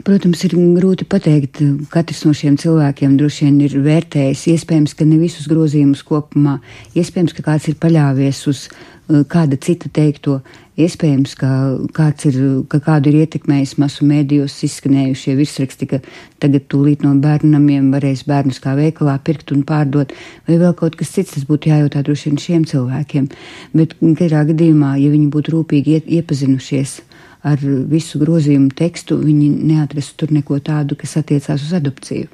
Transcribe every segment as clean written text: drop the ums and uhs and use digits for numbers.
protams, ir grūti pateikt. Katrs no šiem cilvēkiem droši vien ir vērtējis. Iespējams, ka ne visus grozījumus kopumā. Iespējams, ka kāds ir paļāvies uz kāda cita teikto. Iespējams, ka kādu ir ietekmējis masu mēdījos izskanējušie virsraksti, ka tagad tūlīt no bērnamiem varēs bērnus kā veikalā pirkt un pārdot, vai vēl kaut kas cits. Tas būtu jājautā droši vien šiem cilvēkiem. Bet katrā gadījumā, ja viņi būtu rūpīgi iepazinušies ar visu grozījumu tekstu, viņi neatrastu tur neko tādu, kas attiecās uz adopciju.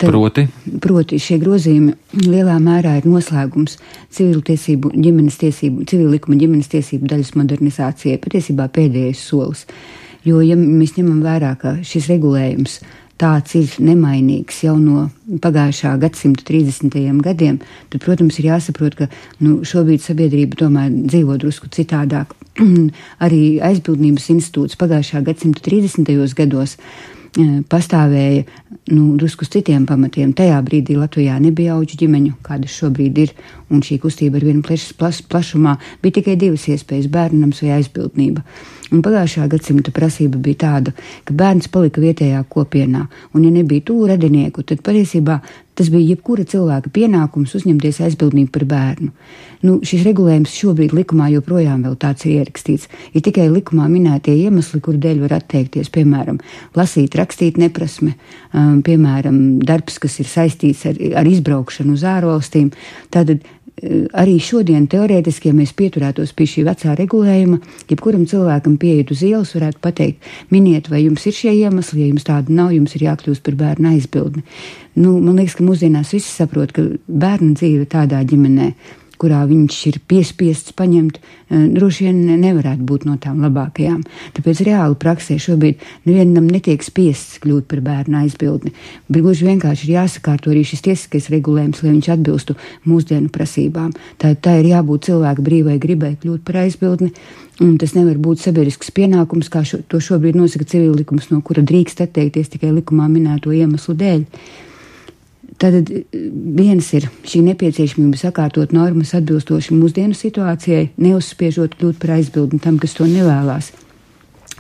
Proti šie grozījumi lielā mērā ir noslēgums civil likuma ģimenes tiesību daļas modernizācijai, patiesībā pēdējais solis. Jo, ja mēs ņemam vērā, ka šis regulējums tāds ir nemainīgs jau no pagājušā gadsimta 30. gadiem, tad, protams, ir jāsaprot, ka šobrīd sabiedrība tomēr dzīvo drusku citādāk. Arī aizbildnības institūts pagājušā gadsimta 30. gados pastāvēja drusku uz citiem pamatiem. Tajā brīdī Latvijā nebija auģu ģimeņu, kādas šobrīd ir, un šī kustība ar vienu plašumā bija tikai divas iespējas - bērnams vai aizbildnība. Un pagājušā gadsimta prasība bija tāda, ka bērns palika vietējā kopienā, un ja nebija tuvu radinieku, tad patiesībā tas bija jebkura cilvēka pienākums uzņemties aizbildnību par bērnu. Šis regulējums šobrīd likumā joprojām vēl tāds ir ierakstīts. Ir tikai likumā minētie iemesli, kur dēļ var atteikties, piemēram, lasīt, rakstīt neprasme, piemēram, darbs, kas ir saistīts ar izbraukšanu uz ārvalstīm. Tātad arī šodien teorētiski, ja mēs pieturētos pie šī vecā regulējuma, jebkuram cilvēkam pieiet uz ielas varētu pateikt, miniet, vai jums ir šie iemesli, ja jums tāda nav, jums ir jākļūst par bērnu aizbildni. Man liekas, ka mūsdienās visi saprot, ka bērnu dzīve tādā ģimenē, kurā viņš ir piespiests paņemt, droši vien nevarētu būt no tām labākajām. Tāpēc reāli praksē šobrīd nevienam netiek spiests kļūt par bērnu aizbildni. Gluži vienkārši ir jāsakārto arī šis tiesiskais regulējums, lai viņš atbilstu mūsdienu prasībām. Tā ir jābūt cilvēka brīvai gribai kļūt par aizbildni, un tas nevar būt sabiedrisks pienākums, kā to šobrīd nosaka civil likums, no kura drīkst atteikties tikai likumā minēto iemeslu dēļ. Tātad viens ir šī nepieciešamība sakārtot normas atbilstoši mūsdienu situācijai, neuzspiežot kļūt par aizbildni tam, kas to nevēlās.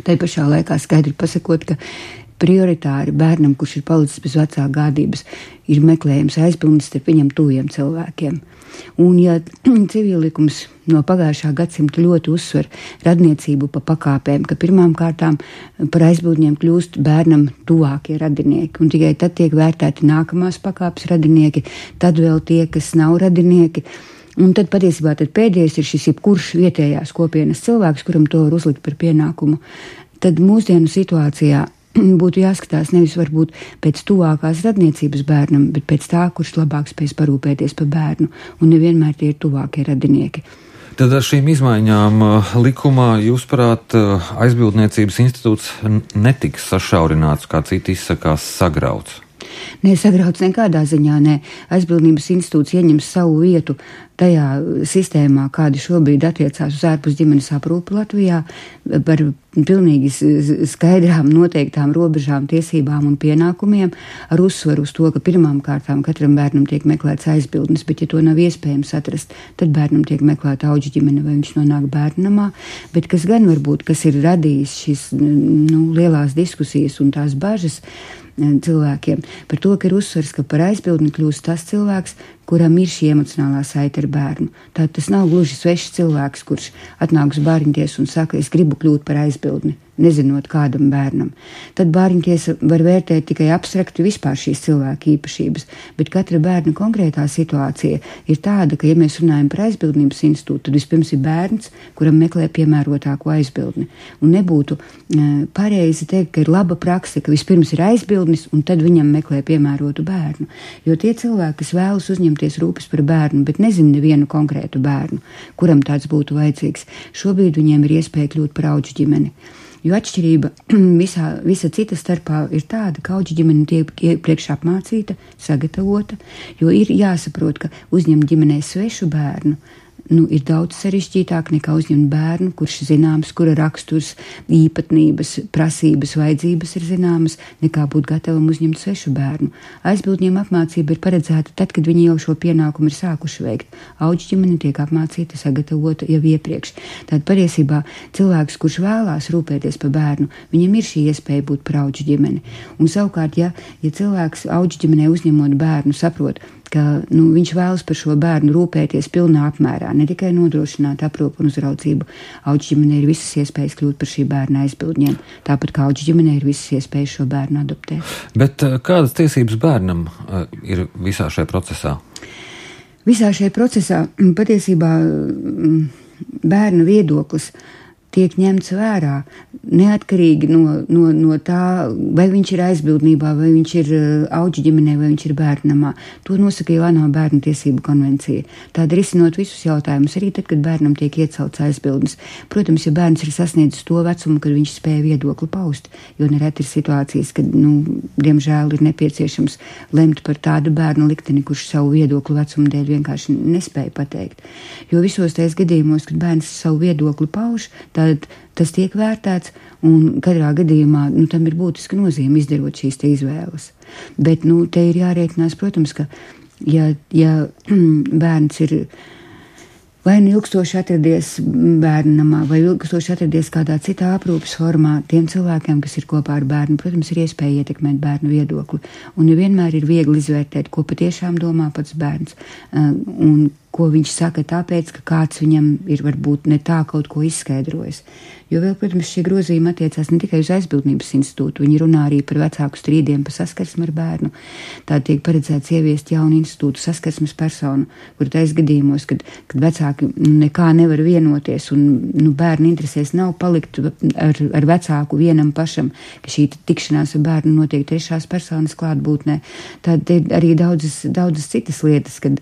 Tai pašā laikā skaidri pasakot, ka prioritāri bērnam, kurš ir palicis bez vecā gādības, ir meklējums aizbildnis starp viņam tuviem cilvēkiem. Un ja civillikums no pagājušā gadsimta ļoti uzsver radniecību pa pakāpēm, ka pirmām kārtām par aizbildņiem kļūst bērnam tuvākie radinieki, un tikai tad tiek vērtēti nākamās pakāpes radinieki, tad vēl tie, kas nav radinieki, un tad patiesībā pēdējais ir šis jebkurš vietējās kopienas cilvēks, kuram to var uzlikt par pienākumu. Tad mūsdienu situācijā būtu jāskatās nevis varbūt pēc tuvākās radniecības bērnam, bet pēc tā, kurš labāk spēs parūpēties par bērnu, un nevienmēr tie ir tuvākie radinieki. Tad ar šīm izmaiņām likumā, jūsuprāt, aizbildniecības institūts netiks sašaurināts, kā citi izsakās, sagrauts? Nē, sagrauts nekādā ziņā, nē. Aizbildnības institūts ieņems savu vietu tajā sistēmā, kādi šobrīd attiecās uz ārpus ģimenes aprūpi Latvijā, par pilnīgi skaidrām noteiktām robežām, tiesībām un pienākumiem, ar uzsvaru uz to, ka pirmām kārtām katram bērnam tiek meklēts aizbildnis, bet ja to nav iespējams atrast, tad bērnam tiek meklēta auģu ģimene vai viņš nonāk bērnamā, bet kas gan varbūt, kas ir radījis šīs lielās diskusijas un tās bažas cilvēkiem par to, ka ir uzsvars, ka par aizbildni kļūst tas cilvēks, kuram ir šī emocionālā saite ar bērnu. Tātad tas nav gluži svešs cilvēks, kurš atnāk uz bārņtiesa un saka, es gribu kļūt par aizbildni, nezinot kādam bērnam. Tad bārņtiesa var vērtēt tikai abstrakti vispār šīs cilvēka īpašības, bet katra bērna konkrētā situācija ir tāda, ka, ja mēs runājam par aizbildnības institūtu, tad vispirms ir bērns, kuram meklē piemērotāko aizbildni. Un nebūtu pareizi teikt, ka ir laba prakse, ka vispirms ir aizbildnis un tad viņam meklē piemērotu bērnu. Jo tie cilvēki, kas vēlas uzņemties rūpes par bērnu, bet nezina nevienu konkrētu bērnu, kuram tāds būtu vajadzīgs, šobrīd viņiem ir iespēja kļūt par auģu ģimeni. Jo atšķirība visa cita starpā ir tāda, ka auģu ģimene tiek iepriekš apmācīta, sagatavota, jo ir jāsaprot, ka uzņemt ģimenē svešu bērnu ir daudz sarežģītāk nekā uzņemt bērnu, kurš zināms, kura raksturs, īpatnības, prasības, vajadzības ir zināmas, nekā būt gatavam uzņemt svešu bērnu. Aizbildņiem apmācība ir paredzēta tad, kad viņi jau šo pienākumu ir sākuši veikt. Auģu ģimene tiek apmācīta, sagatavota jau iepriekš. Tātad patiesībā cilvēks, kurš vēlās rūpēties par bērnu, viņam ir šī iespēja būt par auģu ģimeni. Un savukārt, ja cilvēks auģu ģimenē uzņemot bērnu saprot, ka viņš vēlas par šo bērnu rūpēties pilnā apmērā, ne tikai nodrošināt aprūpu un uzraudzību. Auģu ģimenei ir visas iespējas kļūt par šī bērna aizbildņiem, tāpat kā auģu ģimenei ir visas iespējas šo bērnu adoptēt. Bet kādas tiesības bērnam ir visā šajā procesā? Visā šajā procesā patiesībā bērna viedoklis tiek ņemts vērā neatkarīgi no tā, vai viņš ir aizbildnībā, vai viņš ir auģu ģimenē, vai viņš ir bērnamā. To nosaka jau ANO bērnu tiesību konvencija. Tāda risinot visus jautājumus, arī tad, kad bērnam tiek iecelts aizbildnis. Protams, ja bērns ir sasniedzis to vecumu, kad viņš spēja viedokli paust, jo nereti ir situācijas, kad, diemžēl ir nepieciešams lemt par tādu bērnu likteni, kurš savu viedokli vecumu dēļ vienkārši nespēja pateikt. Jo visos tais gadījumos, kad bērns savu viedokli pauž, tad tas tiek vērtēts, un katrā gadījumā tam ir būtiska nozīme izdarot šīs te izvēles. Bet te ir jārēķinās, protams, ka ja bērns ir vai ilgstoši atradies bērnamā, vai ilgstoši atradies kādā citā aprūpes formā, tiem cilvēkiem, kas ir kopā ar bērnu, protams, ir iespēja ietekmēt bērnu viedokli. Un nevienmēr ir viegli izvērtēt, ko patiešām domā pats bērns, un ko viņš saka tāpēc, ka kāds viņam ir varbūt ne tā kaut ko izskaidrojis. Jo vēl, protams, šie grozījumi attiecās ne tikai uz aizbildnības institūtu, viņi runā arī par vecāku strīdiem, par saskarsmi ar bērnu. Tā tiek paredzēts ieviest jaunu institūtu saskarsmes personu, kur tais gadījumos, kad vecāki nekā nevar vienoties un bērnu interesēs nav palikt ar vecāku vienam pašam, ka šī tikšanās ar bērnu notiek trešās personas klātbūtnē. Tad arī daudzas citas lietas, kad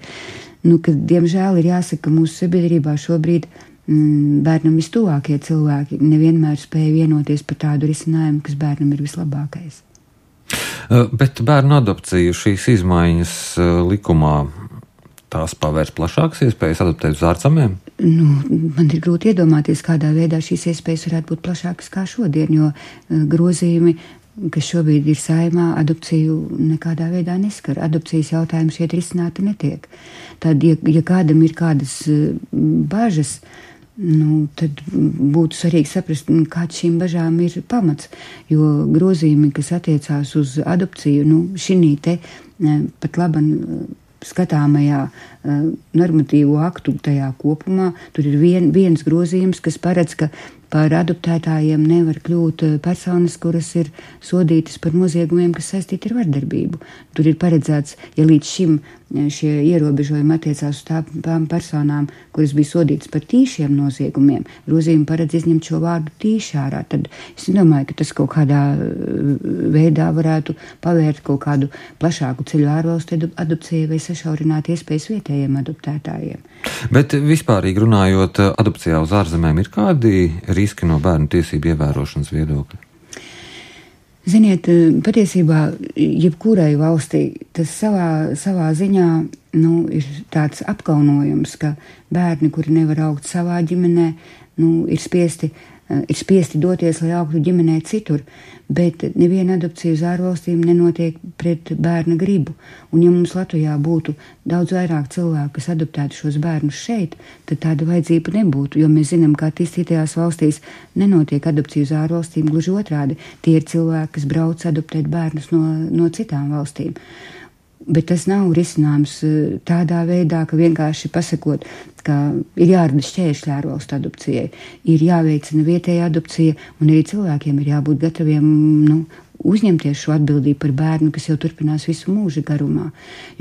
diemžēl ir jāsaka, ka mūsu sabiedrībā šobrīd bērnam vistuvākie cilvēki nevienmēr spēja vienoties par tādu risinājumu, kas bērnam ir vislabākais. Bet bērnu adopciju šīs izmaiņas likumā tās pavērs plašākas iespējas adoptēt uz ārzemēm? Man ir grūti iedomāties, kādā veidā šīs iespējas varētu būt plašākas kā šodien, jo grozījumi, kas šobrīd ir Saeimā, adopciju nekādā veidā neskar. Adopcijas jautājums šeit risināti netiek. Tad, ja kādam ir kādas bažas, tad būtu svarīgi saprast, kāds šīm bažām ir pamats, jo grozījumi, kas attiecās uz adopciju, šinī te pat laban skatāmajā normatīvo aktu tajā kopumā, tur ir viens grozījums, kas paredz, ka par adoptētājiem nevar kļūt personas, kuras ir sodītas par noziegumiem, kas saistīti ar vardarbību. Tur ir paredzēts, ja līdz šim šie ierobežojumi attiecās uz tām personām, kuras bija sodītas par tīšiem noziegumiem, grozījumi paredz izņemt šo vārdu tīši ārā. Tad es domāju, ka tas kaut kādā veidā varētu pavērt kaut kādu plašāku ceļu ārvalstu adopcijai vai sašaurināt iespējas vietējiem adoptētājiem. Bet vispārīgi runājot, adopcijā uz ārzemēm ir kādi riski no bērnu tiesību ievērošanas viedokļa? Ziniet, patiesībā jebkurai valstī tas savā ziņā ir tāds apkaunojums, ka bērni, kuri nevar augt savā ģimenē, ir spiesti doties, lai augtu ģimenē citur, bet neviena adopcija uz ārvalstīm nenotiek pret bērna gribu. Un ja mums Latvijā būtu daudz vairāk cilvēku, kas adoptētu šos bērnus šeit, tad tāda vajadzība nebūtu, jo mēs zinām, ka attīstītajās valstīs nenotiek adopcija uz ārvalstīm, gluži otrādi. Tie ir cilvēki, kas brauc adoptēt bērnus no citām valstīm. Bet tas nav risinājums tādā veidā, ka vienkārši pasakot, ka ir jārada šķēršļi ārvalstu adopcijai, ir jāveicina vietēja adopcija, un arī cilvēkiem ir jābūt gataviem uzņemties šo atbildību par bērnu, kas jau turpinās visu mūža garumā.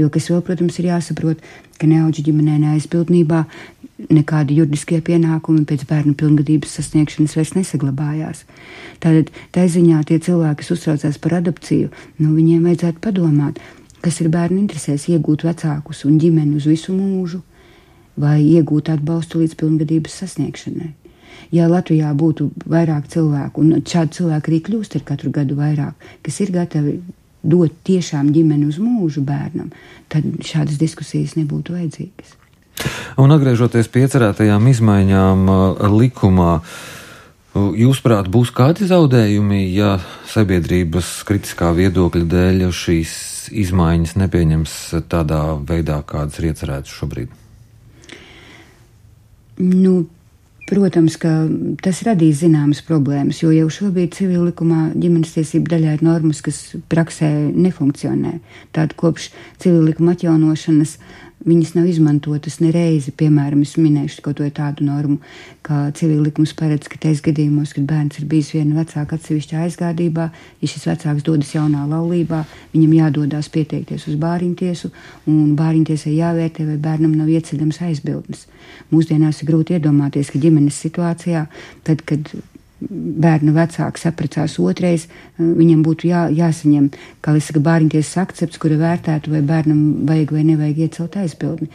Jo kas vēl, protams, ir jāsaprot, ka ne auģu ģimenē, ne aizbildnībā nekādi juridiskie pienākumi pēc bērnu pilngadības sasniegšanas vairs nesaglabājās. Tātad tā ziņā tie cilvēki, kas uztraucās par adopciju, viņiem vajadzētu padomāt, kas ir bērnu interesēs, iegūt vecākus un ģimeni uz visu mūžu vai iegūt atbalstu līdz pilngadības sasniegšanai. Ja Latvijā būtu vairāk cilvēku, un šādi cilvēki arī kļūst ar katru gadu vairāk, kas ir gatavi dot tiešām ģimeni uz mūžu bērnam, tad šādas diskusijas nebūtu vajadzīgas. Un atgriežoties pie iecerētajām izmaiņām likumā, jūsuprāt, būs kādi zaudējumi, ja sabiedrības kritiskā viedokļa dēļ šīs izmaiņas nepieņems tādā veidā, kādas ir iecerētas šobrīd? Protams, ka tas radīs zināmas problēmas, jo jau šobrīd civil likumā ģimenes tiesību daļā ir normas, kas praksē nefunkcionē. Tātad kopš civil likuma atjaunošanas viņas nav izmantotas nereizi. Piemēram, es minēšu kaut vai tādu normu, kā civil likums paredz, ka tais gadījumos, kad bērns ir bijis viena vecāka atsevišķā aizgādībā, ja šis vecāks dodas jaunā laulībā, viņam jādodās pieteikties uz bāriņtiesu, un bāriņtiesai jāvērtē, vai bērnam nav ieceļams aizbildnis. Mūsdienās ir grūti iedomāties, ka ģimenes situācijā, tad, kad bērna vecāks apprecās otrais, viņam būtu jāsaņem, kā es saku, bāriņtiesas akcepts, kura vērtētu, vai bērnam vajag vai nevajag iecelt aizbildni.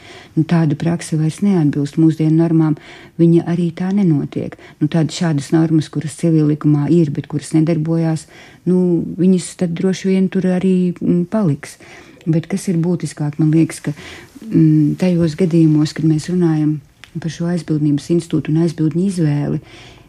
Tāda praksa vairs neatbilst mūsdienu normām, viņa arī tā nenotiek. Šādas normas, kuras civil likumā ir, bet kuras nedarbojās, viņas tad droši vien tur arī paliks. Bet kas ir būtiskāk, man liekas, ka tajos gadījumos, kad mēs runājam par šo aizbildnības institūtu un aizbildņu izvēli,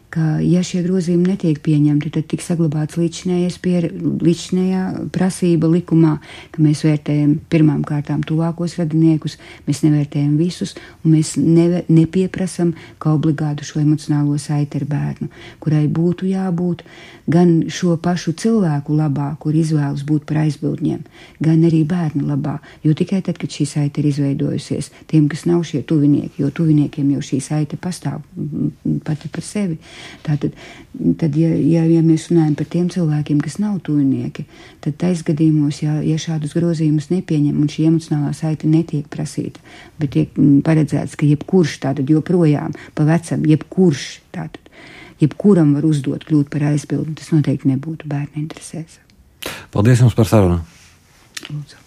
ka, ja šie grozījumi netiek pieņemti, tad tiks saglabāts līdzinējā prasība likumā, ka mēs vērtējam pirmām kārtām tuvākos radiniekus, mēs nevērtējam visus, un mēs nepieprasam kā obligātu šo emocionālo saiti ar bērnu, kurai būtu jābūt gan šo pašu cilvēku labā, kur izvēlas būt par aizbildņiem, gan arī bērnu labā, jo tikai tad, kad šī saite ir izveidojusies, tiem, kas nav šie tuvinieki, jo tuviniekiem jau šī saite pastāv pati par sevi. Tātad, ja mēs runājam par tiem cilvēkiem, kas nav tuvinieki, tad tais gadījumos, ja šādus grozījumus nepieņem un šī emocionālā saite netiek prasīta, bet tiek paredzēts, ka jebkurš tātad joprojām pa vecam, jebkuram var uzdot kļūt par aizbildni, tas noteikti nebūtu bērnu interesēs. Paldies jums par sarunu. Lūdzu.